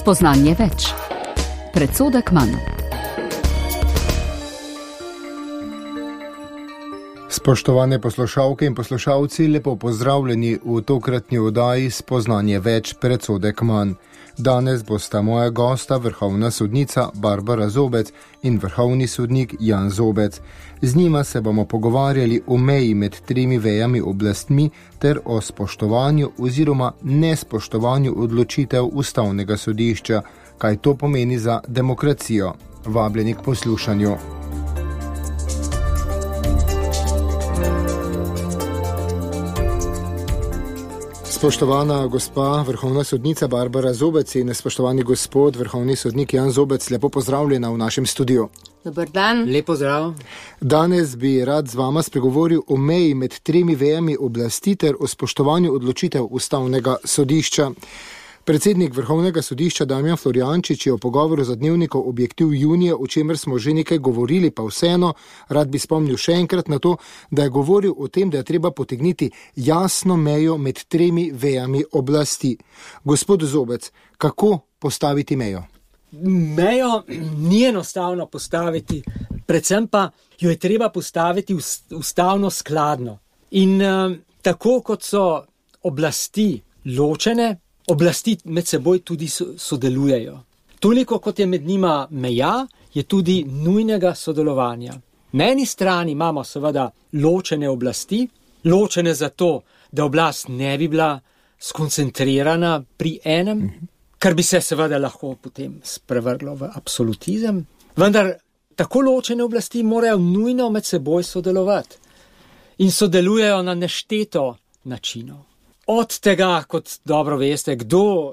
Spoznanje več. Predsodek manj. Spoštovane poslušalke in poslušalci, lepo pozdravljeni v tokratni oddaji Spoznanje več, predsodek manj. Danes bosta moja gosta vrhovna sodnica Barbara Zobec in vrhovni sodnik Jan Zobec. Z njima se bomo pogovarjali o meji med tremi vejami oblastmi ter o spoštovanju oziroma nespoštovanju odločitev Ustavnega sodišča, kaj to pomeni za demokracijo. Vabljeni k poslušanju. Spoštovana gospa vrhovna sodnica Barbara Zobec in spoštovani gospod vrhovni sodnik Jan Zobec, lepo pozdravljena v našem studiu. Dober dan. Lep pozdrav. Danes bi rad z vama spregovoril o meji med tremi vejami oblasti ter o spoštovanju odločitev Ustavnega sodišča. Predsednik Vrhovnega sodišča Damjan Florjančič je v pogovoru za Dnevnikov Objektiv junija, o čemer smo že nekaj govorili, pa vseeno rad bi spomnil še enkrat na to, da je govoril o tem, da je treba potegniti jasno mejo med tremi vejami oblasti. Gospod Zobec, kako postaviti mejo? Mejo ni enostavno postaviti, predvsem pa jo je treba postaviti ustavno skladno. In tako kot so oblasti ločene, oblasti med seboj tudi sodelujejo. Toliko kot je med njima meja, je tudi nujnega sodelovanja. Na eni strani imamo seveda ločene oblasti, ločene zato, da oblast ne bi bila skoncentrirana pri enem, kar bi se seveda lahko potem sprevrglo v absolutizem. Vendar tako ločene oblasti morajo nujno med seboj sodelovati in sodelujejo na nešteto načinov. Od tega, kot dobro veste, kdo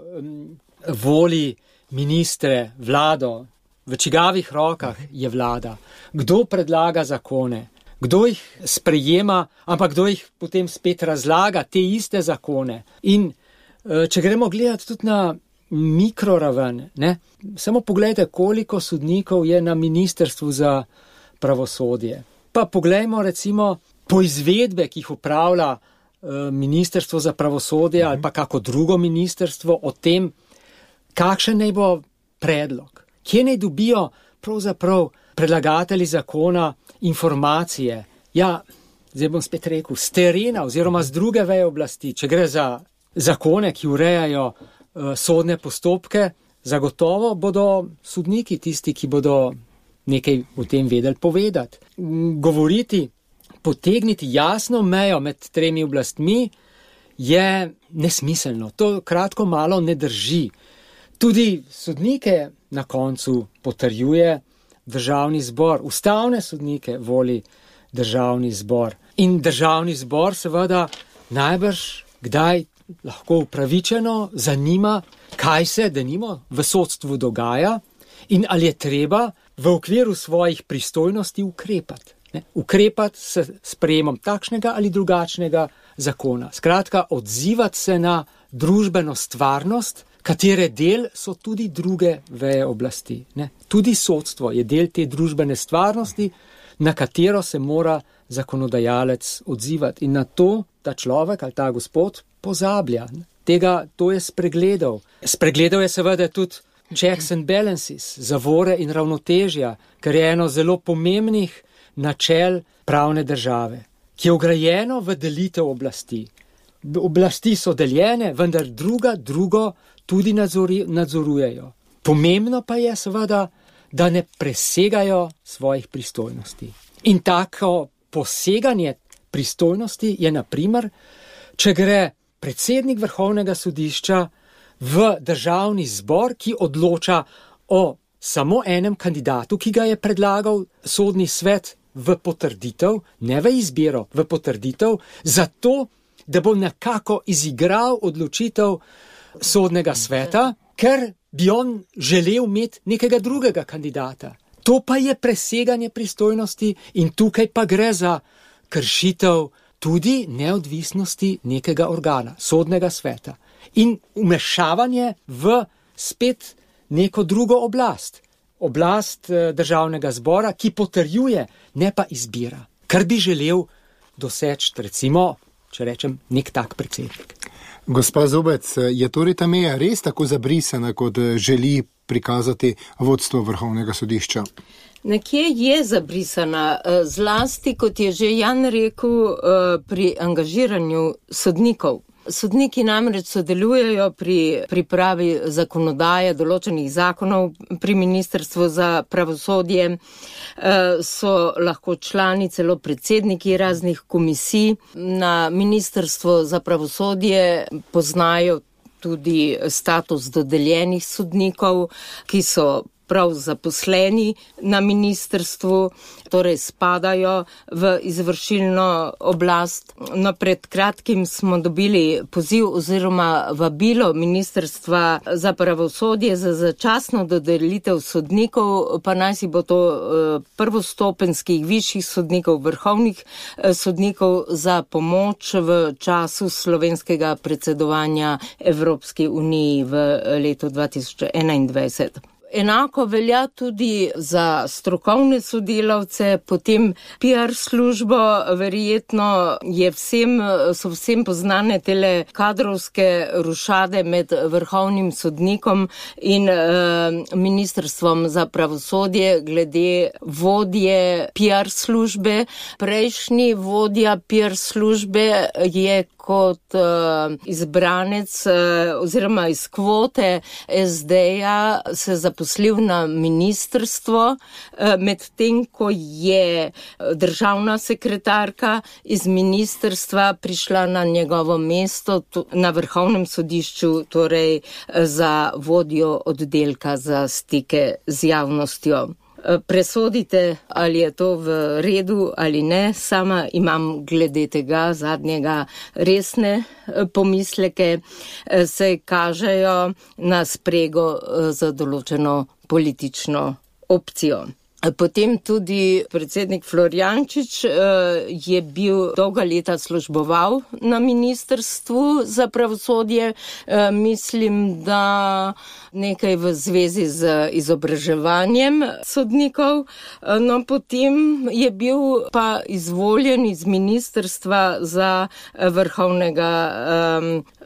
voli ministre, vlado, v čigavih rokah je vlada, kdo predlaga zakone, kdo jih sprejema, ampak kdo jih potem spet razlaga, te iste zakone. In če gremo gledati tudi na mikroraven, samo pogledajte, koliko sodnikov je na ministrstvu za pravosodje. Pa poglejmo recimo poizvedbe, ki jih upravlja ministrstvo za pravosodje ali pa kako drugo ministrstvo o tem, kakšen naj bo predlog. Kje naj dobijo pravzaprav predlagatelji zakona informacije? Ja, zdaj bom spet rekel, z terena oziroma z druge veje oblasti. Če gre za zakone, ki urejajo sodne postopke, zagotovo bodo sodniki tisti, ki bodo nekaj o tem vedeli povedati. Govoriti, potegniti jasno mejo med tremi oblastmi je nesmiselno. To kratko malo ne drži. Tudi sodnike na koncu potrjuje Državni zbor. Ustavne sodnike voli Državni zbor. In Državni zbor seveda najbrž kdaj lahko upravičeno zanima, kaj se denimo v sodstvu dogaja in ali je treba v okviru svojih pristojnosti ukrepati. Ukrepati s sprejemom takšnega ali drugačnega zakona. Skratka, odzivati se na družbeno stvarnost, katere del so tudi druge veje oblasti. Tudi sodstvo je del te družbene stvarnosti, na katero se mora zakonodajalec odzivati. In na to ta človek ali ta gospod pozablja. To je spregledal. Spregledal je seveda tudi checks and balances, zavore in ravnotežja, ker je eno zelo pomembnih načel pravne države, ki je vgrajeno v delitev oblasti. Oblasti so deljene, vendar drugo tudi nadzorujejo. Pomembno pa je seveda, da ne presegajo svojih pristojnosti. In tako poseganje pristojnosti je na primer, če gre predsednik Vrhovnega sodišča v Državni zbor, ki odloča o samo enem kandidatu, ki ga je predlagal sodni svet v potrditev, ne v izbiro, v potrditev, zato, da bo nekako izigral odločitev sodnega sveta, ker bi on želel imeti nekega drugega kandidata. To pa je preseganje pristojnosti in tukaj pa gre za kršitev tudi neodvisnosti nekega organa, sodnega sveta. In vmešavanje v spet neko drugo oblast. Oblast Državnega zbora, ki potrjuje, ne pa izbira. Kar bi želel doseči, recimo, če rečem, nek tak predsednik. Gospa Zobec, je torej ta meja res tako zabrisana, kot želi prikazati vodstvo Vrhovnega sodišča? Nekje je zabrisana, zlasti, kot je že Jan rekel, pri angažiranju sodnikov. Sodniki namreč sodelujejo pri pripravi zakonodaje, določenih zakonov pri Ministrstvu za pravosodje, so lahko člani, celo predsedniki raznih komisij. Na Ministrstvo za pravosodje poznajo tudi status dodeljenih sodnikov, ki so prav zaposleni na ministrstvu, torej spadajo v izvršilno oblast. No, pred kratkim smo dobili poziv oziroma vabilo Ministrstva za pravosodje za začasno dodelitev sodnikov, pa naj si bo to prvostopenjskih višjih sodnikov, vrhovnih sodnikov za pomoč v času slovenskega predsedovanja Evropski uniji v letu 2021. Enako velja tudi za strokovne sodelavce, potem PR službo, verjetno so vsem poznane tele kadrovske rušade med vrhovnim sodnikom in Ministrstvom za pravosodje glede vodje PR službe. Prejšnji vodja PR službe je kot izbranec oziroma iz kvote SD-ja se zaposlil na ministrstvo, medtem ko je državna sekretarka iz ministrstva prišla na njegovo mesto na Vrhovnem sodišču, torej za vodjo oddelka za stike z javnostjo. Presodite, ali je to v redu ali ne. Sama imam glede tega zadnjega resne pomisleke, se kažejo na sprego za določeno politično opcijo. Potem tudi predsednik Florjančič je bil dolga leta služboval na Ministrstvu za pravosodje. Mislim, da nekaj v zvezi z izobraževanjem sodnikov. No, potem je bil pa izvoljen iz Ministrstva za vrhovnega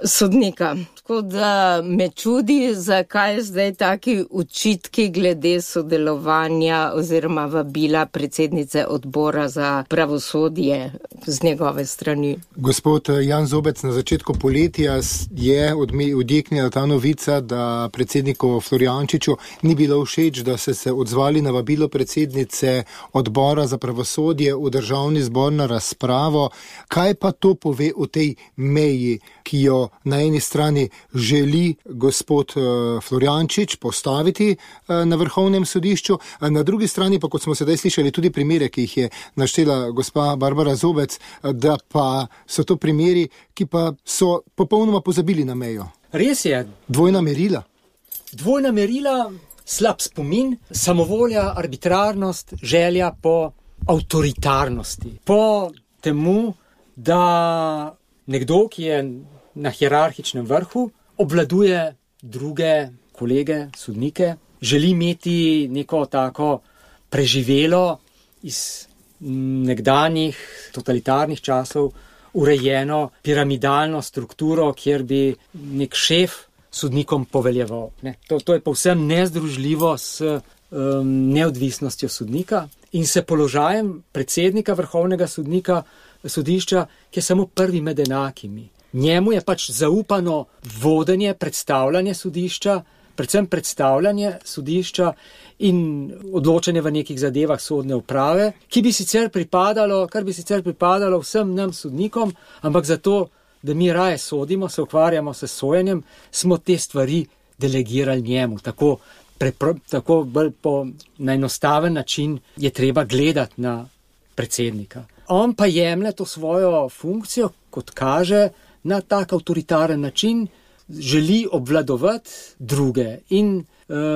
sodnika. Tako da me čudi, zakaj zdaj taki očitki glede sodelovanja oziroma vabila predsednice odbora za pravosodje z njegove strani. Gospod Jan Zobec, na začetku poletja je odjeknila ta novica, da predsedniku Florjančiču ni bilo všeč, da se odzvali na vabilo predsednice odbora za pravosodje v Državni zbor na razpravo. Kaj pa to pove o tej meji, ki jo na eni strani želi gospod Florjančič postaviti na Vrhovnem sodišču, na drugi strani pa, kot smo sedaj slišali, tudi primere, ki jih je naštela gospa Barbara Zobec, da pa so to primeri, ki pa so popolnoma pozabili na mejo. Res je. Dvojna merila. Dvojna merila, slab spomin, samovolja, arbitrarnost, želja po avtoritarnosti. Po temu, da nekdo, ki je na hierarhičnem vrhu, obvladuje druge kolege, sodnike, želi imeti neko tako preživelo iz nekdanjih totalitarnih časov urejeno piramidalno strukturo, kjer bi nek šef sodnikom poveljeval. To je povsem nezdružljivo s neodvisnostjo sodnika in se položajem predsednika Vrhovnega sodišča, ki je samo prvi med enakimi. Njemu je pač zaupano vodenje, predstavljanje sodišča, predvsem predstavljanje sodišča in odločanje v nekih zadevah sodne uprave, kar bi sicer pripadalo vsem nam sodnikom, ampak zato, da mi raje sodimo, se ukvarjamo s sojenjem, smo te stvari delegirali njemu. Tako bolj po najenostaven način je treba gledati na predsednika. On pa jemlje to svojo funkcijo, kot kaže, na tak avtoritaren način, želi obvladovati druge in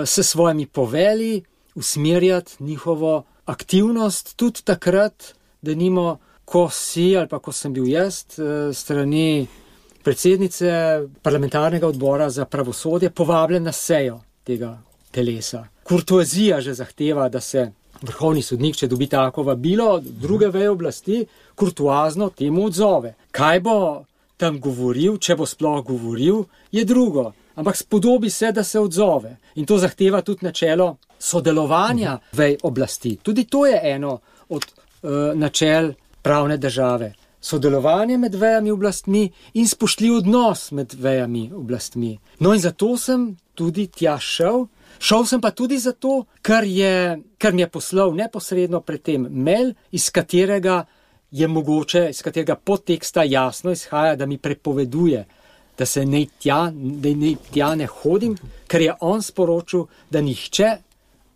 s svojimi poveli usmerjati njihovo aktivnost, tudi takrat, da nimo, ko si ali pa ko sem bil jaz strani predsednice parlamentarnega odbora za pravosodje povabljen na sejo tega telesa. Kurtoazija že zahteva, da se vrhovni sodnik, če dobi tako vabilo, druge veje oblasti, kurtoazno temu odzove. Kaj bo tam govoril, če bo sploh govoril, je drugo. Ampak spodobi se, da se odzove. In to zahteva tudi načelo sodelovanja vej oblasti. Tudi to je eno od načel pravne države. Sodelovanje med vejami oblastmi in spoštljiv odnos med vejami oblastmi. No in zato sem tudi tja šel. Šel sem pa tudi zato, ker mi je poslal neposredno pred tem mail, iz katerega podteksta jasno izhaja, da mi prepoveduje, da naj tja ne hodim, ker je on sporočil, da nihče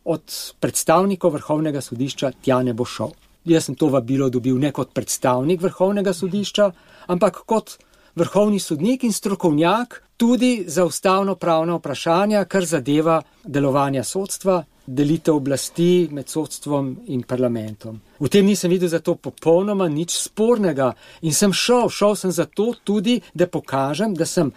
od predstavnikov Vrhovnega sodišča tja ne bo šel. Jaz sem to vabilo dobil ne kot predstavnik Vrhovnega sodišča, ampak kot vrhovni sodnik in strokovnjak tudi za ustavno-pravna vprašanja, kar zadeva delovanja sodstva, delitev oblasti med sodstvom in parlamentom. V tem nisem videl zato popolnoma nič spornega in sem šel sem zato tudi, da pokažem, da sem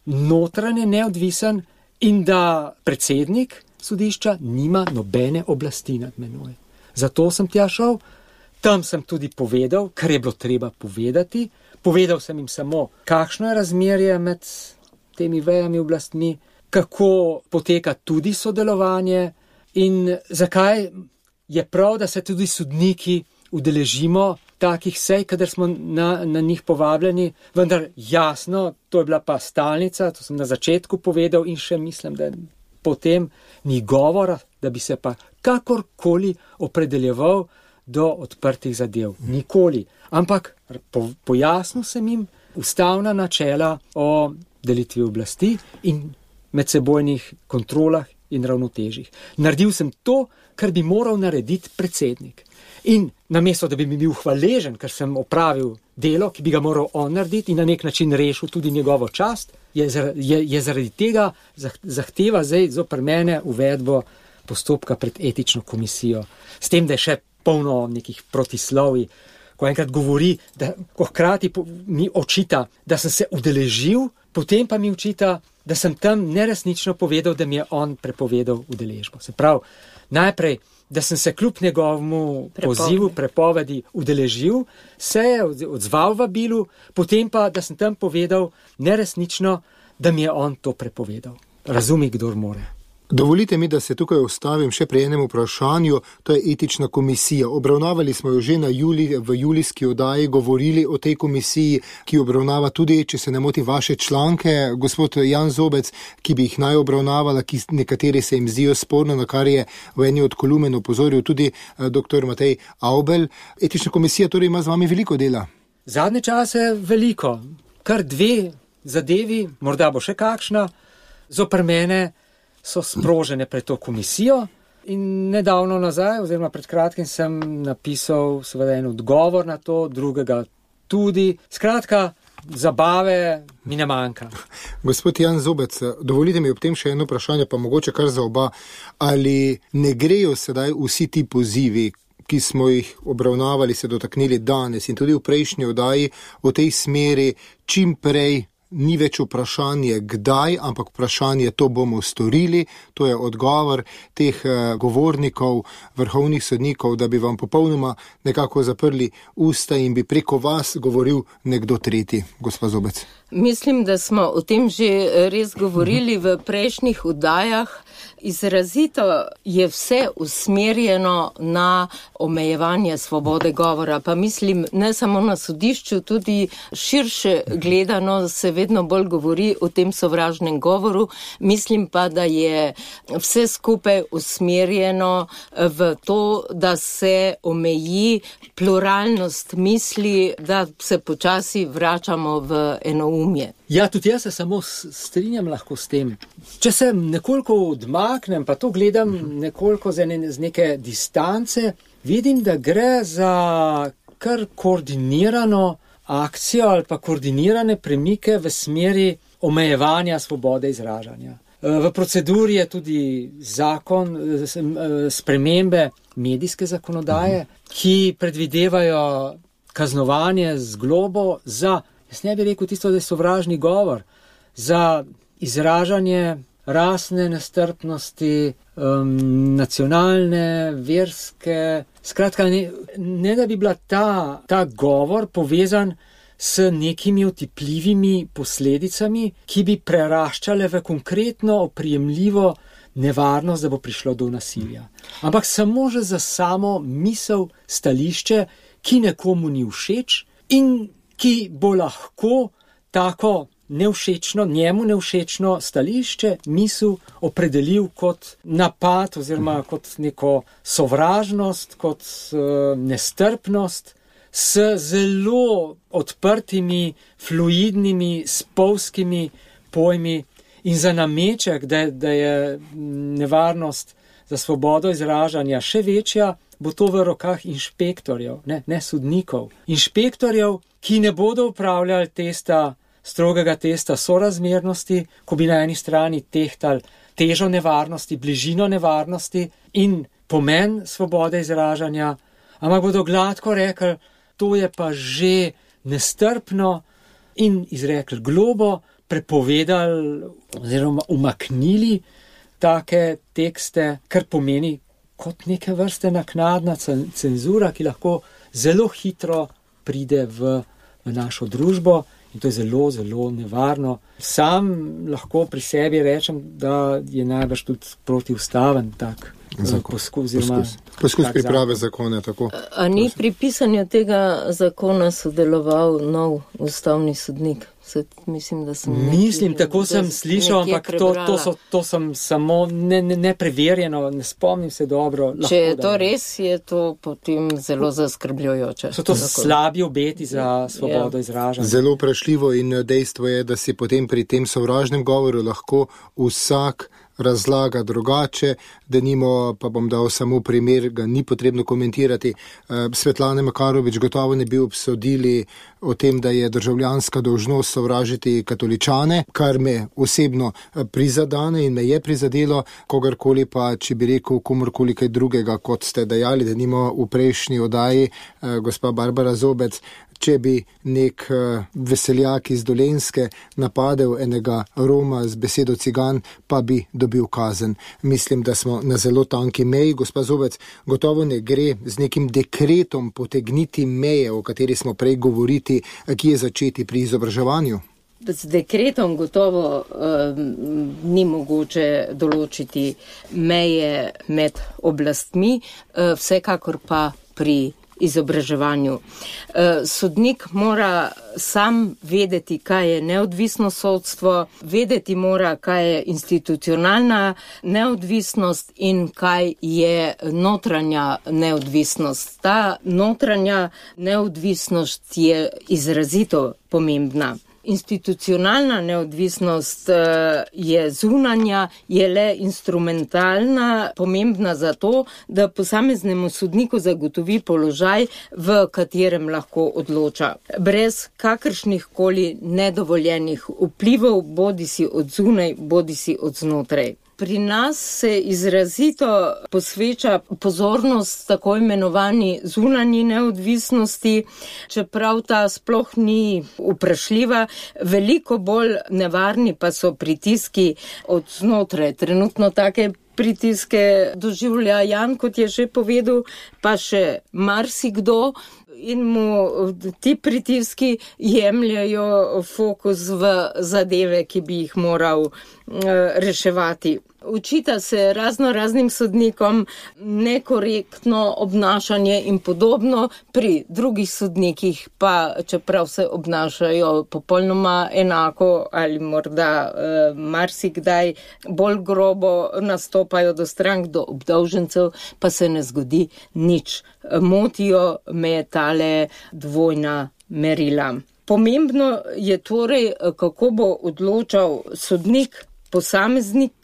notranje neodvisen in da predsednik sodišča nima nobene oblasti nad menoj. Zato sem tja šel, tam sem tudi povedal, kar je bilo treba povedati. Povedal sem jim samo, kakšno je razmerje med temi vejami oblastmi, kako poteka tudi sodelovanje in zakaj je prav, da se tudi sodniki udeležimo takih sej, kadar smo na njih povabljeni, vendar jasno, to je bila pa stalnica, to sem na začetku povedal in še mislim, da potem ni govora, da bi se pa kakorkoli opredeljeval do odprtih zadev. Nikoli. Ampak pojasnil sem jim ustavna načela o delitvi oblasti in medsebojnih kontrolah in ravnotežjih. Naredil sem to, kar bi moral narediti predsednik. In namesto, da bi mi bil hvaležen, ker sem opravil delo, ki bi ga moral on narediti in na nek način rešil tudi njegovo čast, je zaradi tega zahteva zdaj zoper mene uvedbo postopka pred etično komisijo. S tem, da je še polno nekih protislovij, ko enkrat govori, ko hkrati mi očita, da sem se udeležil, potem pa mi očita, da sem tam neresnično povedal, da mi je on prepovedal udeležbo. Se pravi, najprej, da sem se kljub njegovemu pozivu, prepovedi udeležil, se je odzval vabilu, potem pa, da sem tam povedal neresnično, da mi je on to prepovedal. Razumi, kdor more. Dovolite mi, da se tukaj ustavim še pri enem vprašanju, to je etična komisija. Obravnavali smo jo že v julijski oddaji, govorili o tej komisiji, ki obravnava tudi, če se ne moti, vaše članke, gospod Jan Zobec, ki bi jih naj obravnavala, ki nekateri se jim zdijo sporno, na kar je v eni od kolumen opozoril tudi dr. Matej Avbelj. Etična komisija torej ima z vami veliko dela. Zadnje čase veliko, kar 2 zadevi, morda bo še kakšna, zoper mene so sprožene pred to komisijo in nedavno nazaj, oziroma pred kratkim sem napisal seveda en odgovor na to, drugega tudi. Skratka, zabave mi ne manjka. Gospod Jan Zobec, dovolite mi ob tem še eno vprašanje, pa mogoče kar za oba. Ali ne grejo sedaj vsi ti pozivi, ki smo jih obravnavali, se dotaknili danes in tudi v prejšnji oddaji v tej smeri, čim prej ni več vprašanje kdaj, ampak vprašanje to bomo storili, to je odgovor teh govornikov, vrhovnih sodnikov, da bi vam popolnoma nekako zaprli usta in bi preko vas govoril nekdo tretji, gospa Zobec. Mislim, da smo o tem že res govorili v prejšnjih oddajah. Izrazito je vse usmerjeno na omejevanje svobode govora, pa mislim ne samo na sodišču, tudi širše gledano se vedno bolj govori o tem sovražnem govoru. Mislim pa, da je vse skupaj usmerjeno v to, da se omeji pluralnost misli, da se počasi vračamo v enoumje. Ja, tudi jaz se samo strinjam lahko s tem. Če se nekoliko odmaknem, pa to gledam nekoliko z neke distance, vidim, da gre za kar koordinirano akcijo ali pa koordinirane premike v smeri omejevanja svobode izražanja. V proceduri je tudi zakon, spremembe medijske zakonodaje, ki predvidevajo kaznovanje z globo za, jaz ne bi rekel tisto, da je sovražni govor, za izražanje rasne nestrpnosti, nacionalne, verske. Skratka, ne da bi bila ta govor povezan s nekimi otipljivimi posledicami, ki bi preraščale v konkretno oprijemljivo nevarnost, da bo prišlo do nasilja. Ampak samo že za samo misel, stališče, ki nekomu ni všeč in ki bo lahko tako njemu nevšečno stališče, misel opredelil kot napad oziroma kot neko sovražnost, kot nestrpnost, s zelo odprtimi, fluidnimi, spolskimi pojmi in za nameček, da je nevarnost za svobodo izražanja še večja, bo to v rokah inšpektorjev, ne sodnikov. Inšpektorjev, ki ne bodo upravljali strogega testa sorazmernosti, ko bi na eni strani tehtali težo nevarnosti, bližino nevarnosti in pomen svobode izražanja, ampak bodo gladko rekli, to je pa že nestrpno in izrekli globo, prepovedali oziroma umaknili take tekste, kar pomeni kot neke vrste naknadna cenzura, ki lahko zelo hitro pride v našo družbo. In to je zelo, zelo nevarno. Sam lahko pri sebi rečem, da je najbrž tudi protiustaven tak poskus priprave zakona. Tako. A ni pri pisanju tega zakona sodeloval nov ustavni sodnik? Mislim, tako sem slišal, ampak to sem samo nepreverjeno, ne spomnim se dobro. Če je to res, je to potem zelo zaskrbljujoče. So to slabi obeti za svobodo izražanja. Zelo vprašljivo in dejstvo je, da si potem pri tem sovražnem govoru lahko vsak razlaga drugače, denimo, pa bom dal samo primer, ga ni potrebno komentirati. Svetlane Makarovič gotovo ne bi obsodili o tem, da je državljanska dolžnost sovražiti katoličane, kar me osebno prizadane in me je prizadelo, kogarkoli pa, če bi rekel komorkoli kaj drugega, kot ste dejali, denimo v prejšnji oddaji, gospa Barbara Zobec, če bi nek veseljak iz Dolenjske napadel enega Roma z besedo cigan, pa bi dobil kazen. Mislim, da smo na zelo tanki meji. Gospa Zobec, gotovo ne gre z nekim dekretom potegniti meje, o kateri smo prej govoriti, ki je začeti pri izobraževanju. Z dekretom gotovo ni mogoče določiti meje med oblastmi, vsekakor pa pri izobraževanju. Sodnik mora sam vedeti, kaj je neodvisno sodstvo, vedeti mora, kaj je institucionalna neodvisnost in kaj je notranja neodvisnost. Ta notranja neodvisnost je izrazito pomembna. Institucionalna neodvisnost je zunanja, je le instrumentalna, pomembna zato, da posameznemu sodniku zagotovi položaj, v katerem lahko odloča. Brez kakršnih koli nedovoljenih vplivov, bodisi od zunaj, bodisi od znotraj. Pri nas se izrazito posveča pozornost tako imenovani zunanji neodvisnosti, čeprav ta sploh ni vprašljiva, veliko bolj nevarni pa so pritiski od znotraj. Trenutno take pritiske doživlja Jan, kot je že povedal, pa še marsikdo, in mu ti pritiski jemljajo fokus v zadeve, ki bi jih moral reševati. Učita se raznim sodnikom nekorektno obnašanje in podobno, pri drugih sodnikih pa, čeprav se obnašajo popolnoma enako ali morda marsikdaj bolj grobo nastopajo do strank, do obdolžencev, pa se ne zgodi nič. Motijo me tale dvojna merila. Pomembno je torej, kako bo odločal sodnik, posameznik,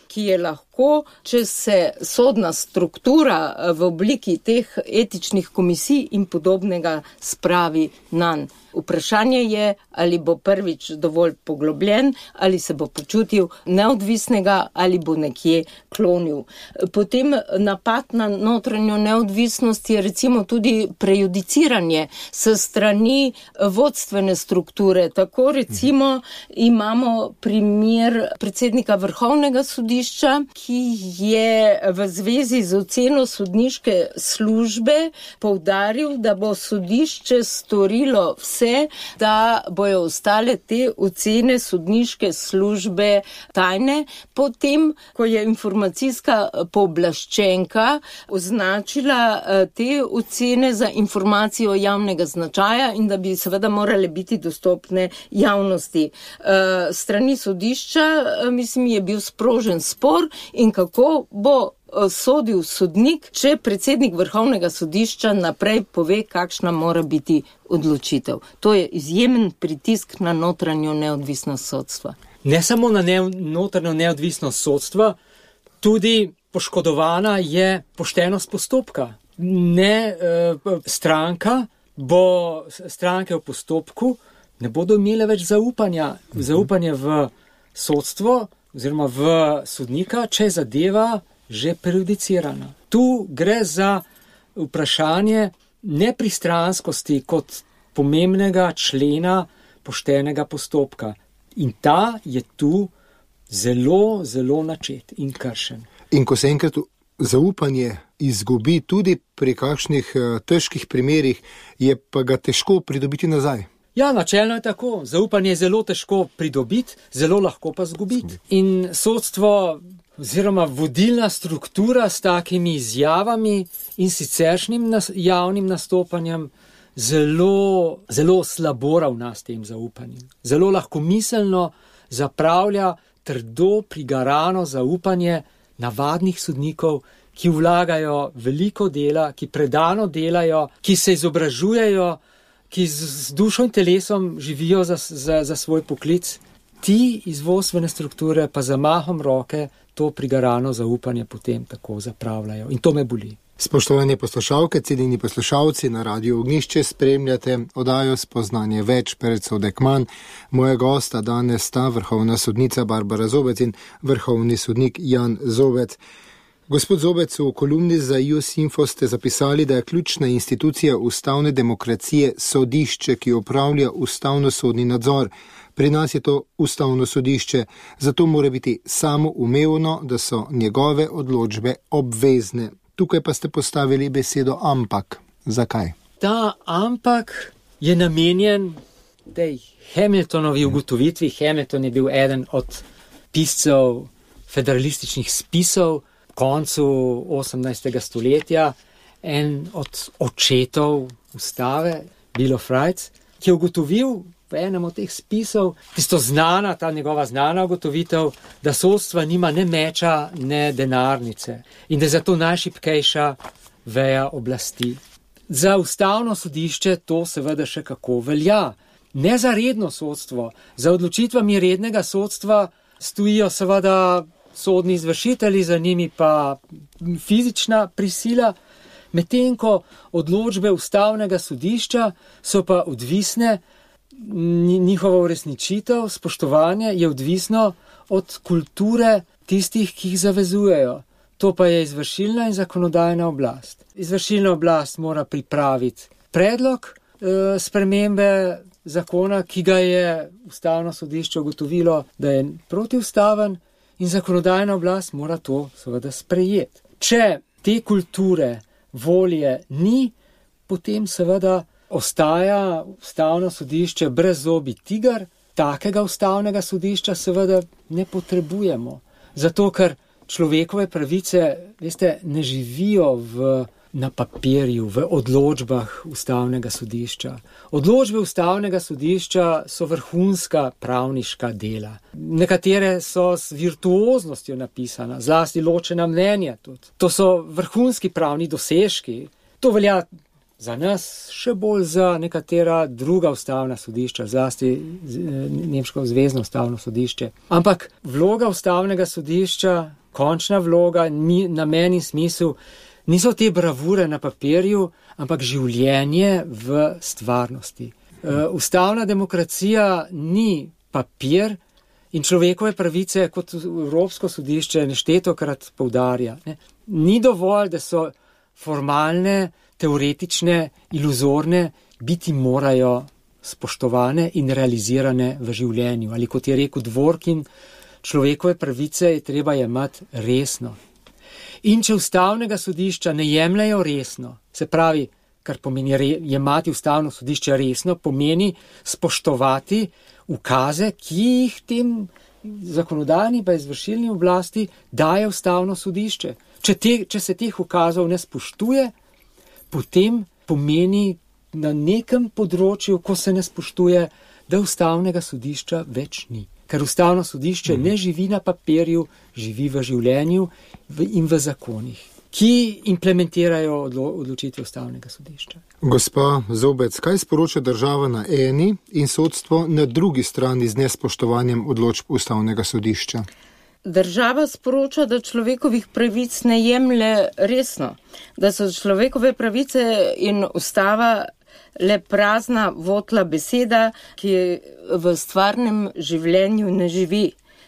ki je lahko, če se sodna struktura v obliki teh etičnih komisij in podobnega spravi nanj. Vprašanje je, ali bo prvič dovolj poglobljen, ali se bo počutil neodvisnega, ali bo nekje klonil. Potem napad na notranjo neodvisnost je recimo tudi prejudiciranje s strani vodstvene strukture. Tako recimo imamo primer predsednika Vrhovnega sodišča, ki je v zvezi z oceno sodniške službe poudaril, da bo sodišče storilo vse se, da bojo ostale te ocene sodniške službe tajne, potem, ko je informacijska pooblaščenka označila te ocene za informacijo javnega značaja in da bi seveda morale biti dostopne javnosti. Strani sodišča, mislim, je bil sprožen spor in kako bo sodil sodnik, če predsednik Vrhovnega sodišča naprej pove, kakšna mora biti odločitev. To je izjemen pritisk na notranjo neodvisnost sodstva. Ne samo na notranjo neodvisnost sodstva, tudi poškodovana je poštenost postopka. Stranke v postopku ne bodo imele več zaupanje v sodstvo oziroma v sodnika, če je zadeva že prejudicirana. Tu gre za vprašanje nepristranskosti kot pomembnega člena poštenega postopka. In ta je tu zelo, zelo načet in kršen. In ko se enkrat zaupanje izgubi tudi pri kakšnih težkih primerih, je pa ga težko pridobiti nazaj. Ja, načelno je tako. Zaupanje je zelo težko pridobiti, zelo lahko pa zgubiti. In sodstvo oziroma vodilna struktura s takimi izjavami in siceršnjim javnim nastopanjem zelo, zelo slabo ravna s tem zaupanjem. Zelo lahkomiselno zapravlja trdo prigarano zaupanje navadnih sodnikov, ki vlagajo veliko dela, ki predano delajo, ki se izobražujejo, ki z dušo in telesom živijo za svoj poklic. Ti iz vodstvene strukture pa zamahom roke to prigarano zaupanje potem tako zapravljajo. In to me boli. Spoštovane poslušalke, cenjeni poslušalci, na Radiu Ognjišče spremljate oddajo Spoznanje več, predsodek manj. Moja gosta danes sta vrhovna sodnica Barbara Zobec in vrhovni sodnik Jan Zobec. Gospod Zobec, v kolumni za IOS-Info ste zapisali, da je ključna institucija ustavne demokracije sodišče, ki opravlja ustavno-sodni nadzor. Pri nas je to ustavno sodišče, zato mora biti samoumevno, da so njegove odločbe obvezne. Tukaj pa ste postavili besedo ampak. Zakaj? Ta ampak je namenjen tej Hamiltonovi ugotovitvi. Hamilton je bil eden od piscev federalističnih spisov koncu 18. stoletja, en od očetov ustave, Bill of Rights, ki je ugotovil v enem od teh spisov, ta njegova znana ugotovitev, da sodstva nima ne meča, ne denarnice in da je zato najšibkejša veja oblasti. Za ustavno sodišče to seveda še kako velja. Ne za redno sodstvo. Za odločitvami rednega sodstva stojijo seveda sodni izvršitelji, za njimi pa fizična prisila, medtem ko odločbe ustavnega sodišča so pa odvisne, njihova uresničitev, spoštovanje je odvisno od kulture tistih, ki jih zavezujejo. To pa je izvršilna in zakonodajna oblast. Izvršilna oblast mora pripraviti predlog spremembe zakona, ki ga je ustavno sodišče ugotovilo, da je protiustaven, in zakonodajna oblast mora to seveda sprejeti. Če te kulture, volje ni, potem seveda ostaja ustavno sodišče brezzobi tiger. Takega ustavnega sodišča seveda ne potrebujemo. Zato, ker človekove pravice, veste, ne živijo na papirju, v odločbah ustavnega sodišča. Odločbe ustavnega sodišča so vrhunska pravniška dela. Nekatere so s virtuoznostjo napisana, zlasti ločena mnenja tudi. To so vrhunski pravni dosežki. To velja za nas, še bolj za nekatera druga ustavna sodišča, zlasti nemško zvezno ustavno sodišče. Ampak vloga ustavnega sodišča, končna vloga, namen in smisel, niso te bravure na papirju, ampak življenje v stvarnosti. Ustavna demokracija ni papir in človekove pravice, kot Evropsko sodišče neštetokrat poudarja. Ni dovolj, da so formalne, teoretične, iluzorne, biti morajo spoštovane in realizirane v življenju. Ali kot je rekel Dworkin, človekove pravice je treba jemati resno. In če ustavnega sodišča ne jemljajo resno, se pravi, kar pomeni jemati ustavno sodišče resno, pomeni spoštovati ukaze, ki jih tem zakonodajni pa izvršilni oblasti daje ustavno sodišče. Če se teh ukazov ne spoštuje, potem pomeni na nekem področju, ko se ne spoštuje, da ustavnega sodišča več ni. Ker ustavno sodišče ne živi na papirju, živi v življenju in v zakonih, ki implementirajo odločitve ustavnega sodišča. Gospa Zobec, kaj sporoča država na eni in sodstvo na drugi strani z nespoštovanjem odločb ustavnega sodišča? Država sporoča, da človekovih pravic ne jemlje resno, da so človekove pravice in ustava le prazna votla beseda, ki v stvarnem življenju ne živi.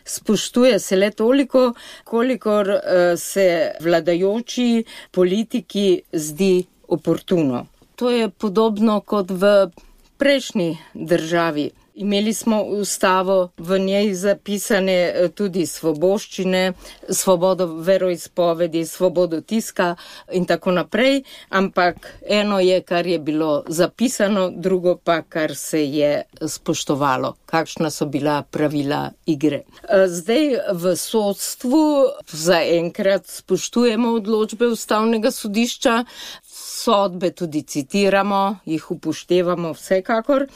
Spoštuje se le toliko, kolikor se vladajoči politiki zdi oportuno. To je podobno kot v prejšnji državi. Imeli smo ustavo, v njej zapisane tudi svoboščine, svobodo veroizpovedi, svobodo tiska in tako naprej, ampak eno je, kar je bilo zapisano, drugo pa, kar se je spoštovalo, kakšna so bila pravila igre. Zdaj v sodstvu zaenkrat spoštujemo odločbe ustavnega sodišča, sodbe tudi citiramo, jih upoštevamo vsekakor,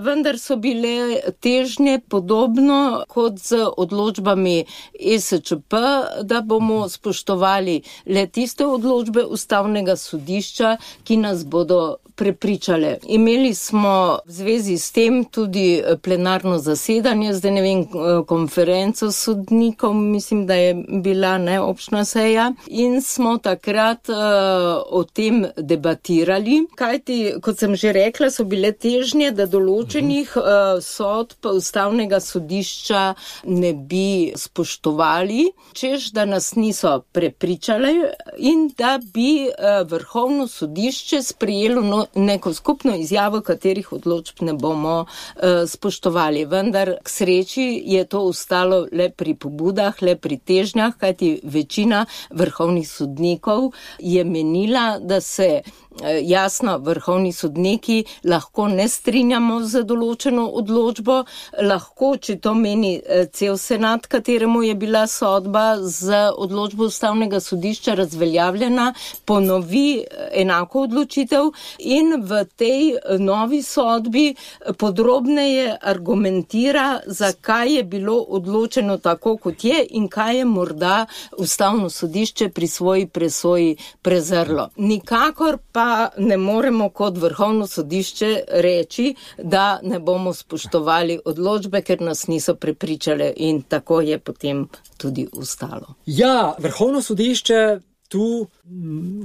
vendar so bile težnje podobno kot z odločbami ESČP, da bomo spoštovali le tiste odločbe ustavnega sodišča, ki nas bodo prepričale. Imeli smo v zvezi s tem tudi plenarno zasedanje, zdaj ne vem, konferenco sodnikov, mislim, da je bila neobčna seja, in smo takrat o tem debatirali, kajti, kot sem že rekla, so bile težnje, da določenih sodb ustavnega sodišča ne bi spoštovali, češ da nas niso prepričali in da bi Vrhovno sodišče sprejelo neko skupno izjavo, katerih odločb ne bomo spoštovali. Vendar k sreči je to ostalo le pri pobudah, le pri težnjah, kajti večina vrhovnih sodnikov je menila, da se jasno, vrhovni sodniki lahko ne strinjamo z določeno odločbo, lahko, če to meni cel senat, kateremu je bila sodba z odločbo ustavnega sodišča razveljavljena, ponovi enako odločitev in v tej novi sodbi podrobneje argumentira, zakaj je bilo odločeno tako, kot je in kaj je morda ustavno sodišče pri svoji presoji prezrlo. Nikakor pa ne moremo kot Vrhovno sodišče reči, da ne bomo spoštovali odločbe, ker nas niso prepričale, in tako je potem tudi ostalo. Ja, Vrhovno sodišče tu,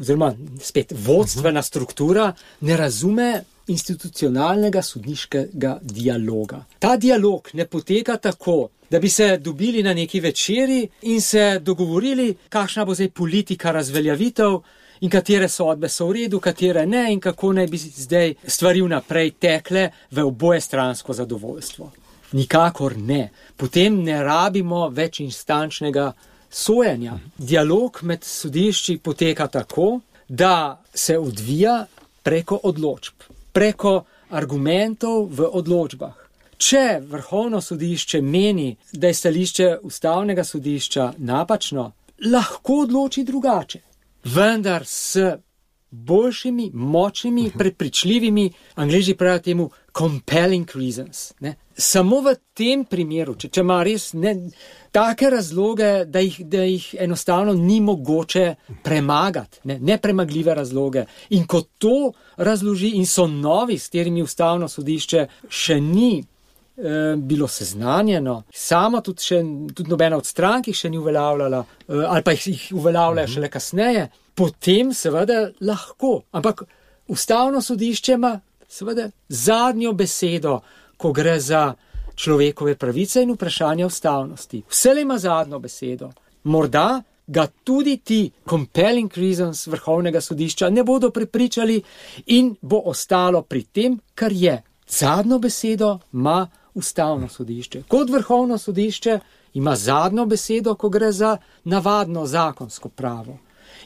oziroma spet vodstvena struktura, ne razume institucionalnega sodniškega dialoga. Ta dialog ne poteka tako, da bi se dobili na neki večeri in se dogovorili, kakšna bo zdaj politika razveljavitev in katere sodbe so v redu, katere ne in kako naj bi zdaj stvari vnaprej tekle v obojestransko zadovoljstvo. Nikakor ne. Potem ne rabimo več instančnega sojenja. Dialog med sodišči poteka tako, da se odvija preko odločb, preko argumentov v odločbah. Če Vrhovno sodišče meni, da je stališče ustavnega sodišča napačno, lahko odloči drugače. Vendar s boljšimi, močnimi, prepričljivimi, Angleži pravijo temu compelling reasons. Ne? Samo v tem primeru, če ima res take razloge, da jih enostavno ni mogoče premagati, nepremagljive razloge. In ko to razloži in so novi, s katerimi ustavno sodišče še ni bilo seznanjeno, samo tudi nobena od strank jih še ni uveljavljala, ali pa jih uveljavljajo šele kasneje, potem seveda lahko. Ampak ustavno sodišče ima seveda zadnjo besedo, ko gre za človekove pravice in vprašanje ustavnosti. Vselej ima zadnjo besedo. Morda ga tudi ti compelling reasons Vrhovnega sodišča ne bodo prepričali in bo ostalo pri tem, kar je. Zadnjo besedo ima ustavno sodišče. Kot Vrhovno sodišče ima zadnjo besedo, ko gre za navadno zakonsko pravo.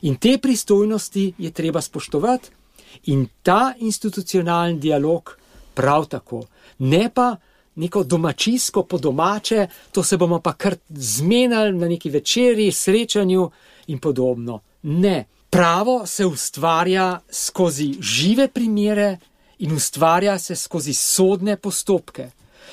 In te pristojnosti je treba spoštovati In ta institucionalni dialog prav tako. Ne pa neko domačijsko po domače, to se bomo pa kar zmenili na neki večeri, srečanju in podobno. Ne. Pravo se ustvarja skozi žive primere in ustvarja se skozi sodne postopke.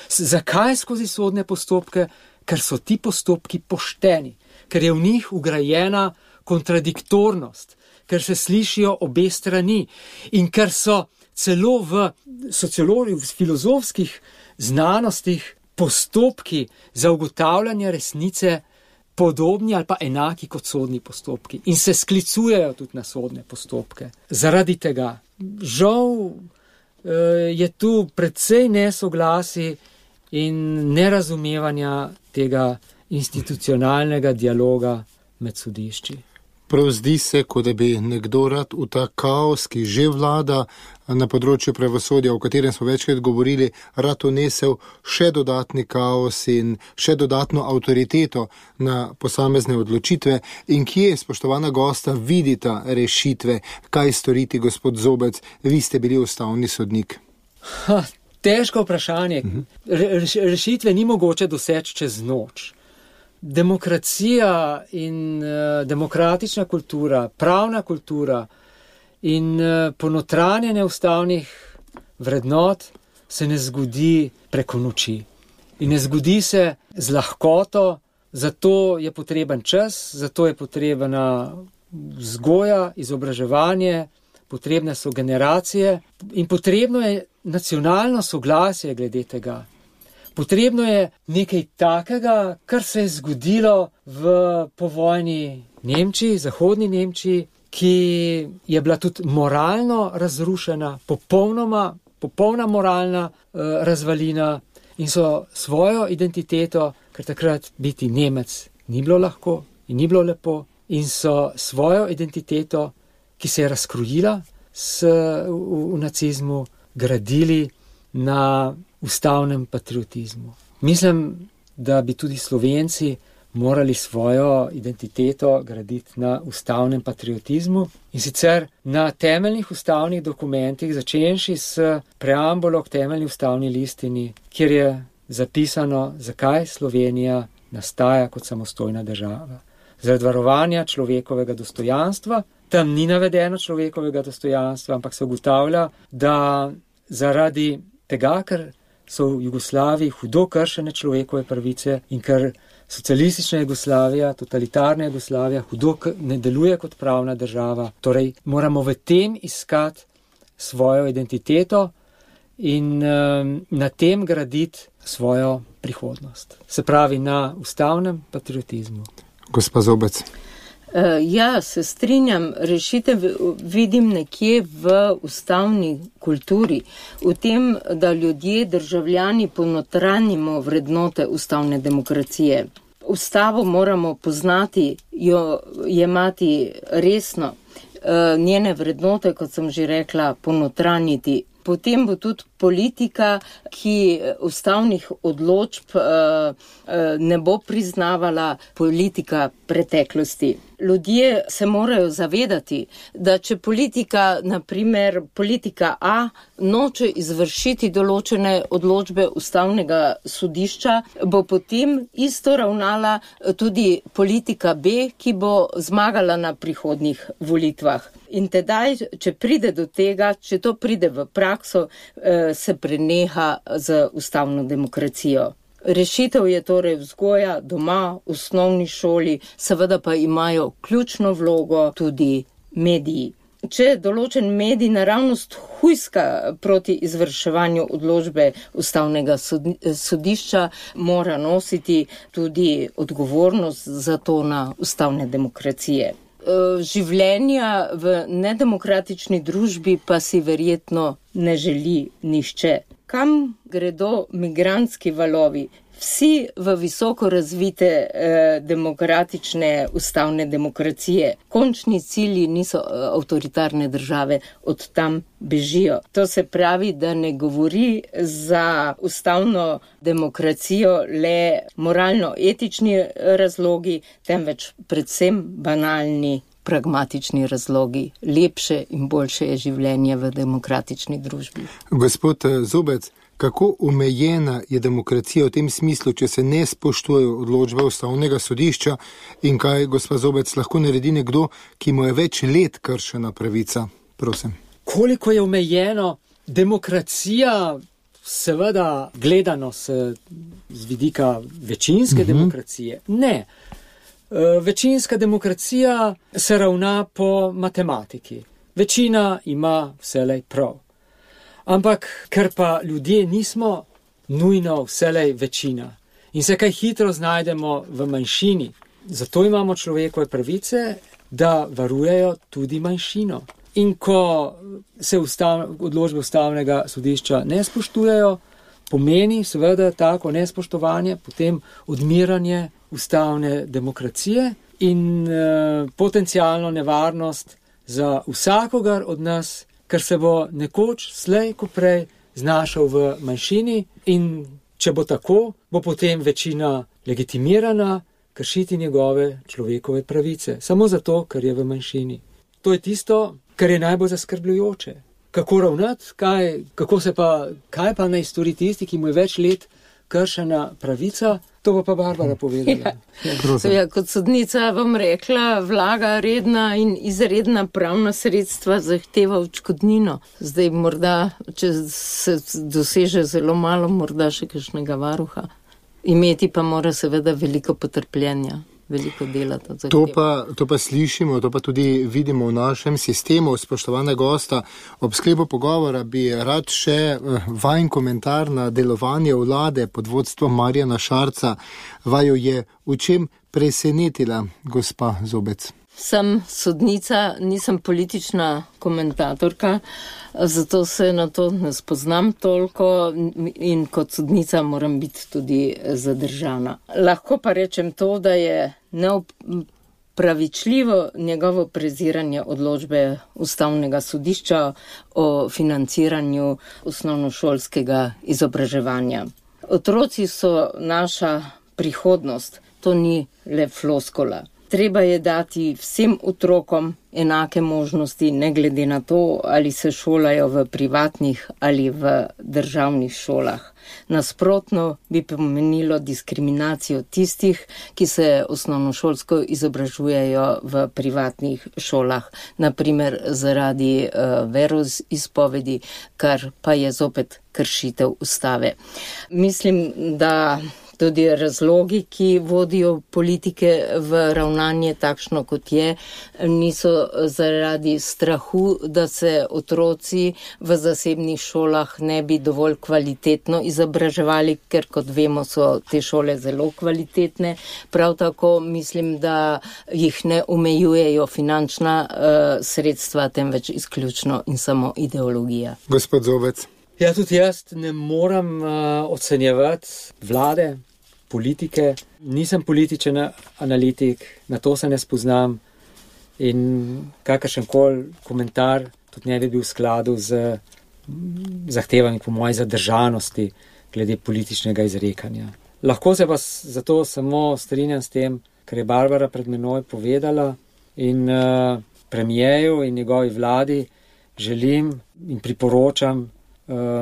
Zakaj skozi sodne postopke? Ker so ti postopki pošteni, ker je v njih ugrajena kontradiktornost, ker se slišijo obe strani in ker so celo v sociologiji, v filozofskih znanostih postopki za ugotavljanje resnice podobni ali pa enaki kot sodni postopki in se sklicujejo tudi na sodne postopke. Zaradi tega, žal, je tu precej nesoglasi in nerazumevanja tega institucionalnega dialoga med sodišči. Prav zdi se, kot da bi nekdo rad v ta kaos, ki že vlada na področju pravosodja, o katerem smo večkrat govorili, rad unesel še dodatni kaos in še dodatno avtoriteto na posamezne odločitve. In kje, spoštovana gosta, vidita rešitve? Kaj storiti, gospod Zobec? Vi ste bili ustavni sodnik. Težko vprašanje. Rešitve ni mogoče doseči čez noč. Demokracija in demokratična kultura, pravna kultura in ponotranjenje ustavnih vrednot se ne zgodi preko noči. In ne zgodi se z lahkoto, zato je potreben čas, zato je potrebna vzgoja, izobraževanje, potrebne so generacije in potrebno je nacionalno soglasje glede tega. Potrebno je nekaj takega, kar se je zgodilo v povojni Nemčiji, zahodni Nemčiji, ki je bila tudi moralno razrušena, popolna moralna razvalina in so svojo identiteto, ker takrat biti Nemec ni bilo lahko in ni bilo lepo, in so svojo identiteto, ki se je razkrojila v nacizmu, gradili na ustavnem patriotizmu. Mislim, da bi tudi Slovenci morali svojo identiteto graditi na ustavnem patriotizmu in sicer na temeljnih ustavnih dokumentih, začenši s preambulo k temeljni ustavni listini, kjer je zapisano, zakaj Slovenija nastaja kot samostojna država. Zaradi varovanja človekovega dostojanstva. Tam ni navedeno človekovega dostojanstva, ampak se ugotavlja, da zaradi tega, ker so v Jugoslaviji hudo kršene človekove pravice in ker socialistična Jugoslavija, totalitarna Jugoslavija hudo ne deluje kot pravna država. Torej, moramo v tem iskati svojo identiteto in na tem graditi svojo prihodnost. Se pravi, na ustavnem patriotizmu. Gospa Zobec. Ja, se strinjam, rešitev vidim nekje v ustavni kulturi, v tem, da ljudje, državljani ponotranimo vrednote ustavne demokracije. Ustavo moramo poznati, jo jemati resno, njene vrednote, kot sem že rekla, ponotraniti. Potem bo tudi politika, ki ustavnih odločb ne bo priznavala, politika preteklosti. Ljudje se morajo zavedati, da če politika, naprimer politika A, noče izvršiti določene odločbe ustavnega sodišča, bo potem isto ravnala tudi politika B, ki bo zmagala na prihodnjih volitvah. In tedaj, če pride do tega, če to pride v prakso, se preneha z ustavno demokracijo. Rešitev je torej vzgoja doma, v osnovni šoli, seveda pa imajo ključno vlogo tudi mediji. Če določen medij naravnost hujska proti izvrševanju odločbe ustavnega sodišča, mora nositi tudi odgovornost za to na ustavne demokracije. Življenja v nedemokratični družbi pa si verjetno ne želi nihče. Kam gredo migrantski valovi? Vsi v visoko razvite demokratične ustavne demokracije. Končni cilji niso avtoritarne države, od tam bežijo. To se pravi, da ne govori za ustavno demokracijo le moralno-etični razlogi, temveč predvsem banalni pragmatični razlogi. Lepše in boljše je življenje v demokratični družbi. Gospod Zobec, kako omejena je demokracija v tem smislu, če se ne spoštujejo odločbe Ustavnega sodišča in kaj, gospod Zobec, lahko naredi nekdo, ki mu je več let kršena pravica? Prosim. Koliko je omejeno demokracija, seveda gledano z vidika večinske demokracije? Ne. Večinska demokracija se ravna po matematiki. Večina ima vselej prav. Ampak, ker pa ljudje nismo nujno vselej večina in se kaj hitro znajdemo v manjšini, zato imamo človekove pravice, da varujejo tudi manjšino. In ko se odločbe Ustavnega sodišča ne spoštujejo, pomeni seveda tako nespoštovanje, potem odmiranje ustavne demokracije in potencialno nevarnost za vsakogar od nas, ker se bo nekoč slej ko prej znašel v manjšini in če bo tako, bo potem večina legitimirana kršiti njegove človekove pravice. Samo zato, ker je v manjšini. To je tisto, kar je najbolj zaskrbljujoče. Kako ravnati, kaj pa naj stori tisti, ki mu je več let kršena pravica, to bo pa Barbara povedala. Kot sodnica vam rekla, vlaga redna in izredna pravna sredstva zahteva odškodnino. Zdaj morda, če se doseže zelo malo, morda še kakšnega varuha. Imeti pa mora seveda veliko potrpljenja. Veliko dela to zahteva. To pa slišimo, to pa tudi vidimo v našem sistemu. Spoštovana gosta, ob sklepu pogovora bi rad še vajen komentar na delovanje vlade pod vodstvom Marjana Šarca. Vaju je v čem presenetila, gospa Zobec? Sem sodnica, nisem politična komentatorka, zato se na to ne spoznam toliko in kot sodnica moram biti tudi zadržana. Lahko pa rečem to, da je neopravičljivo njegovo preziranje odločbe Ustavnega sodišča o financiranju osnovnošolskega izobraževanja. Otroci so naša prihodnost, to ni le floskula. Treba je dati vsem otrokom enake možnosti, ne glede na to, ali se šolajo v privatnih ali v državnih šolah. Nasprotno bi pomenilo diskriminacijo tistih, ki se osnovnošolsko izobražujejo v privatnih šolah, naprimer zaradi veroizpovedi, kar pa je zopet kršitev ustave. Mislim, da tudi razlogi, ki vodijo politike v ravnanje takšno, kot je, niso zaradi strahu, da se otroci v zasebnih šolah ne bi dovolj kvalitetno izobraževali, ker kot vemo, so te šole zelo kvalitetne. Prav tako mislim, da jih ne omejujejo finančna sredstva, temveč izključno in samo ideologija. Gospod Zobec. Ja, tudi jaz ne moram ocenjevati vlade, politike. Nisem političen analitik, na to se ne spoznam in kakršenkoli komentar tudi ne bi bil v skladu z zahtevami po moji zadržanosti glede političnega izrekanja. Lahko se pa zato samo strinjam s tem, kar je Barbara pred menoj povedala in premijeju in njegovi vladi želim in priporočam,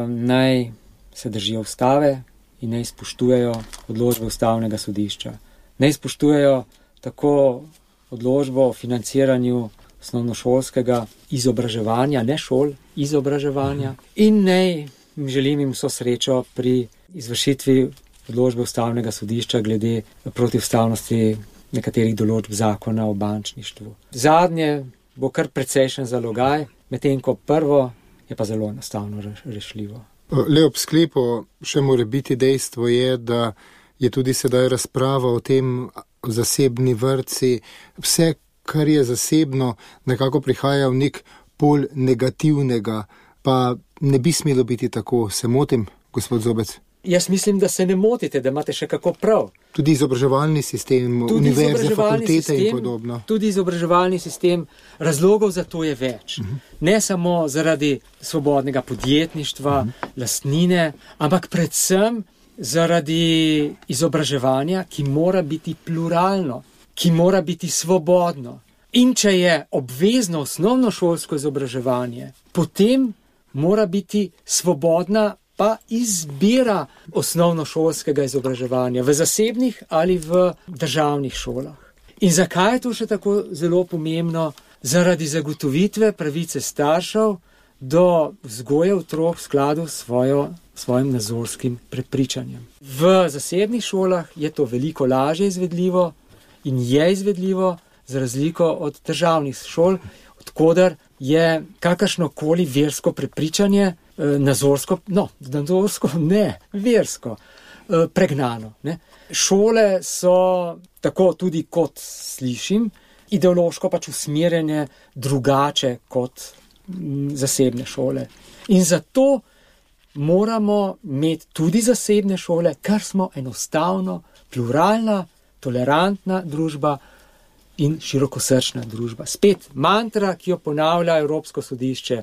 naj se držijo ustave in naj spoštujejo odločbe Ustavnega sodišča. Naj spoštujejo tako odločbo o financiranju osnovnošolskega izobraževanja, ne šol, izobraževanja, in naj želim jim vso srečo pri izvršitvi odločbe Ustavnega sodišča glede protiustavnosti nekaterih določb zakona o bančništvu. Zadnje bo kar precejšen zalogaj, medtem ko prvo je pa zelo enostavno rešljivo. Le ob sklepu še mora biti dejstvo je, da je tudi sedaj razprava o tem zasebni vrtci. Vse, kar je zasebno, nekako prihaja v nek pol negativnega, pa ne bi smelo biti tako. Se motim, gospod Zobec? Jaz mislim, da se ne motite, da imate še kako prav. Tudi izobraževalni sistem, univerze, fakultete in podobno. Tudi izobraževalni sistem, razlogov za to je več. Ne samo zaradi svobodnega podjetništva, lastnine, ampak predvsem zaradi izobraževanja, ki mora biti pluralno, ki mora biti svobodno. In če je obvezno osnovnošolsko izobraževanje, potem mora biti svobodna pa izbira osnovnošolskega izobraževanja v zasebnih ali v državnih šolah. In zakaj je to še tako zelo pomembno? Zaradi zagotovitve pravice staršev do vzgoje otrok v skladu s svojim nazorskim prepričanjem. V zasebnih šolah je to veliko lažje izvedljivo in je izvedljivo za razliko od državnih šol, odkoder je kakršnokoli versko prepričanje versko pregnano. Ne? Šole so, tako tudi kot slišim, ideološko pač usmerjene drugače kot zasebne šole. In zato moramo imeti tudi zasebne šole, ker smo enostavno pluralna, tolerantna družba in širokosrčna družba. Spet mantra, ki jo ponavlja Evropsko sodišče,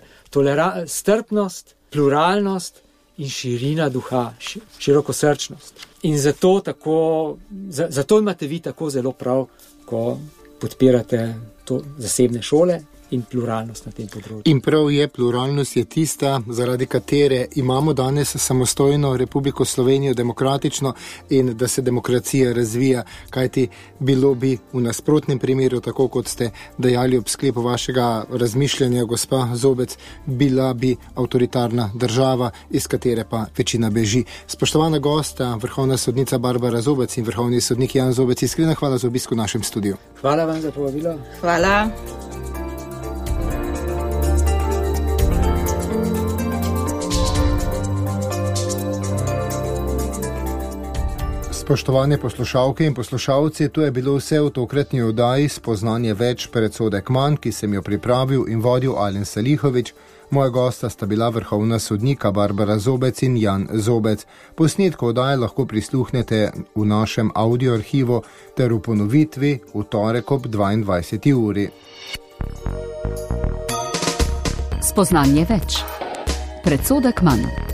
strpnost, pluralnost in širina duha, širokosrčnost. In zato imate vi tako zelo prav, ko podpirate to zasebne šole in pluralnost na tem področju. In prav je, pluralnost je tista, zaradi katere imamo danes samostojno Republiko Slovenijo, demokratično, in da se demokracija razvija, kajti bilo bi v nasprotnem primeru, tako kot ste dejali ob sklepu vašega razmišljanja, gospa Zobec, bila bi avtoritarna država, iz katere pa večina beži. Spoštovana gosta, vrhovna sodnica Barbara Zobec in vrhovni sodnik Jan Zobec, iskrena hvala za obisk v našem studiu. Hvala vam za povabilo. Hvala. Spoštovane poslušalke in poslušalci, to je bilo vse v tokratni oddaji Spoznanje več, predsodek manj, ki sem jo pripravil in vodil Alen Salihovič. Moja gosta sta bila vrhovna sodnika Barbara Zobec in Jan Zobec. Posnetko oddaje lahko prisluhnete v našem audio arhivu ter v ponovitvi v torek ob 22. uri. Spoznanje več, predsodek manj.